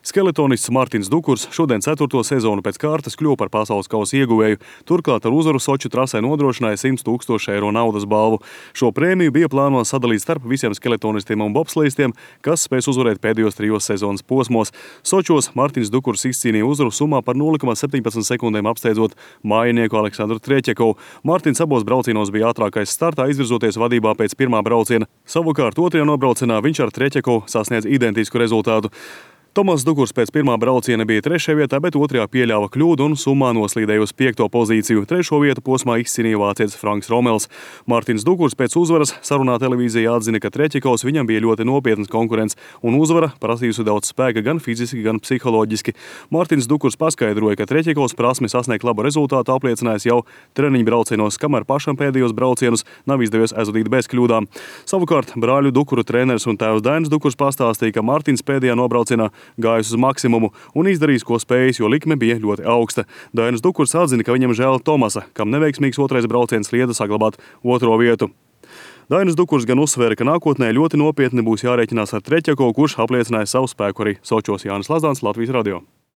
Skeletonists Mārtiņš Dukurs šodien 4. sezonu pēc kārtas kļuva par pasaules kausa ieguvēju. Turklāt ar uzvaru Soču trasē nodrošināja 100 000 eiro naudas balvu. Šo prēmiju bija plānots sadalīt starp visiem skeletonistiem un bobslejistiem, kas spēs uzvarēt pēdējos 3 sezonas posmos. Sočos Mārtiņš Dukurs izcīnīja uzvaru summā par 0,17 sekundēm apsteidzot mājinieku Aleksandru Treķekovu. Mārtiņš abos braucienos bija ātrākais startā, izvirzoties vadībā pēc pirmā brauciena. Savukārt otrajā nobraucienā viņš ar Treķekovu sasniedz identisku rezultātu. Tomas Dukurs pēc pirmā brauciena bija 3. vietā, bet 2. pieļāva kļūdu un summā noslīdēja uz 5. pozīciju. 3. vietu posmā izcīnīja vācietis Franks Romels. Mārtiņš Dukurs pēc uzvaras sarunā televīzijā atzina, ka Treķekovs viņam bija ļoti nopietnas konkurents, un uzvara prasījusi daudz spēka gan fiziski, gan psiholoģiski. Mārtiņš Dukurs paskaidroja, ka Treķekovs prasmi sasniegt labu rezultātu apliecinājis jau treniņu braucienos, kamēr pašam pēdējos braucienus nav izdevies aizvadīt bez kļūdām. Savukārt brāļu Dukuru treneris un tēvs Dainis Dukurs pastāstīja, ka Mārtiņš pēdējā nobraucienā gājis uz maksimumu un izdarījis, ko spējis, jo likme bija ļoti augsta. Dainis Dukurs atzina, ka viņam žēl Tomasa, kam neveiksmīgs 2. brauciens liedza saglabāt 2. vietu. Dainis Dukurs gan uzsvēra, ka nākotnē ļoti nopietni būs jārēķinās ar Treķekovu, kurš apliecināja savu spēku arī Sočos. Jānis Lazdāns, Latvijas radio.